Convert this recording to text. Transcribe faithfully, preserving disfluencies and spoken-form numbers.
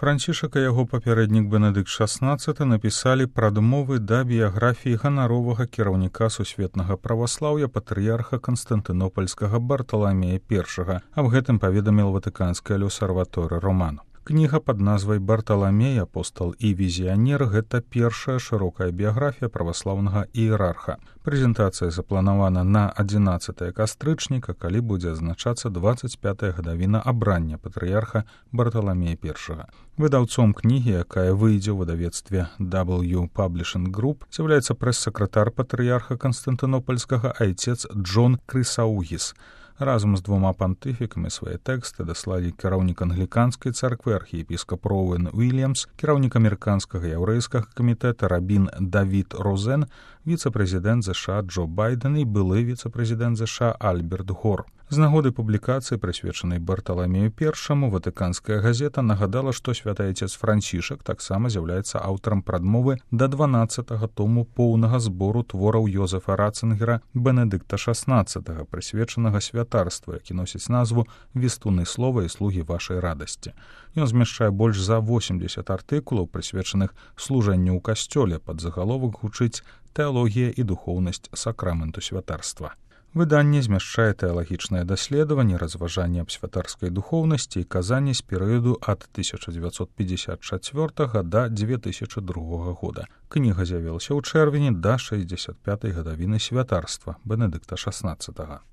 Францішак і яго папярэднік Бенедыкт шаснаццаты напісалі прадмовы да біяграфіі ганаровага кіраўніка сусветнага праваслаўя патрыярха Канстантынопальскага Барталамея першага. Аб гэтым паведаміл Ватыканская L'Osservatore Romano. Кніга пад назвай «Барталамей, апостал і візіянер» — гэта першая шырокая біяграфія праваслаўнага іерарха. Прэзентацыя запланавана на адзінаццатае кастрычніка, калі будзе адзначацца дваццаць пятая гадавіна абрання патрыярха Барталамея першага. Выдаўцом кнігі, якая выйдзе ў выдавецтве дабл ю Publishing Group, з'яўляецца прэс-сакратар патрыярха Канстантынопальскага айцец Джон Крысаугіс. Разам з двума пантыфікамі свае тэксты даслалі кіраўнік англіканскай царквы архіепіскап Роуэн Уільямс, кіраўнік амерыканскага яўрэйскага камітэта рабін Давід Розен, віцэ-прэзідэнт ЗША Джо Байден і былы віцэ-прэзідэнт ЗША Альберт Гор. З нагоды публікацыі, прысвечанай Барталамею першаму, Ватыканская газета нагадала, што святы айцец Францішак таксама з'яўляецца аўтарам прадмовы да дванаццатага тому поўнага збору твораў Йозефа Ратцынгера Бенедыкта шаснаццатага, прысвечанага святарству, які носіць назву «Вестуны слова і слугі вашай радасці». Ён змяшчае больш за восемдзесят артыкулаў, прысвечаных служэнню ў касцёле. Пад загаловак гучыць «Тэалогія і духоўнасць сакраменту святарства». Выданне змяшчае тэалагічнае даследаванне, разважанне аб святарскай духоўнасці і казанні з перыяду ад тысяча дзевяцьсот пятьдесят чацвёртага да две тысячи другога года. Кніга з'явілася ў чэрвені да шэсцьдзесят пятай гадавіны святарства Бенедыкта шаснаццатага.